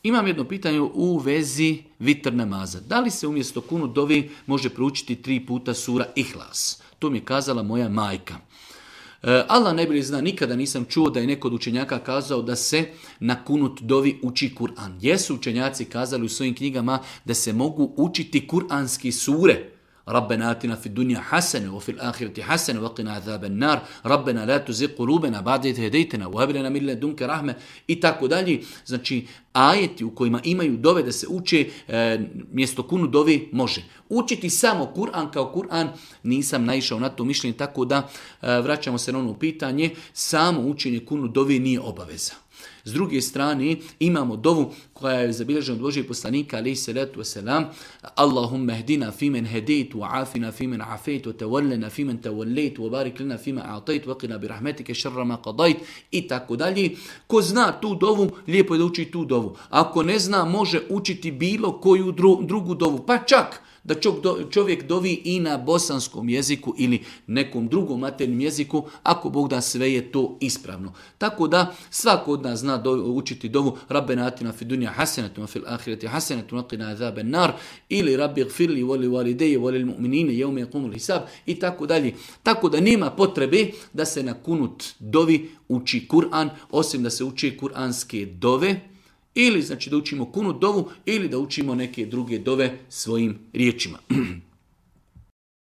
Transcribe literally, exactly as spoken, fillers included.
Imam jedno pitanje u vezi vitr namaza. Da li se umjesto kunut dovi može proučiti tri puta sura Ihlas? To mi je kazala moja majka. Allah najbolje zna, nikada nisam čuo da je neko od učenjaka kazao da se na kunut dovi uči Kur'an. Jesu učenjaci kazali u svojim knjigama da se mogu učiti kuranski sure. Rabbena atina fid dunja hasene, wa fil ahireti hasene, wa qina azaben nar, Rabbena la tuzigh qulubana ba'da idh hadaytana, wa hab lana min ladunka rahme i tako dalje. Znači, ajeti u kojima imaju dove da se uče e, mjesto kunu dovi može. Učiti samo Kur'an kao Kur'an nisam naišao na to mišljenje, tako da e, vraćamo se na ono pitanje, samo učenje kunu dovi nije obaveza. S druge strane, imamo dovu koja je zabilježena od Božijeg poslanika, alejhi salatu wasalam, Allahumma hdina fimen hedejt, wa afina fimen afejt, wa tawallena fimen tawallejt, wa barik lana fima a'tajt, wa qina bi rahmetike šarra ma qadajt, i tako dalje. Ko zna tu dovu, lijepo je da uči tu dovu. Ako ne zna, može učiti bilo koju dru, drugu dovu, pa čak da čovjek dovi i na bosanskom jeziku ili nekom drugom maternjem jeziku, ako Bog da, sve je to ispravno. Tako da svako od nas zna do, učiti dovu Rabbena atina fid dunja hasenatun, fil ahireti hasenatun, wa qina azaben nar, ili Rabbi gfirli voli valideje voli mu'minine jevme yakumul hisab i tako dalje. Tako da nema potrebe da se na kunut dovi uči Kur'an, osim da se uči kuranske dove, ili znači da učimo kunut dovu ili da učimo neke druge dove svojim riječima.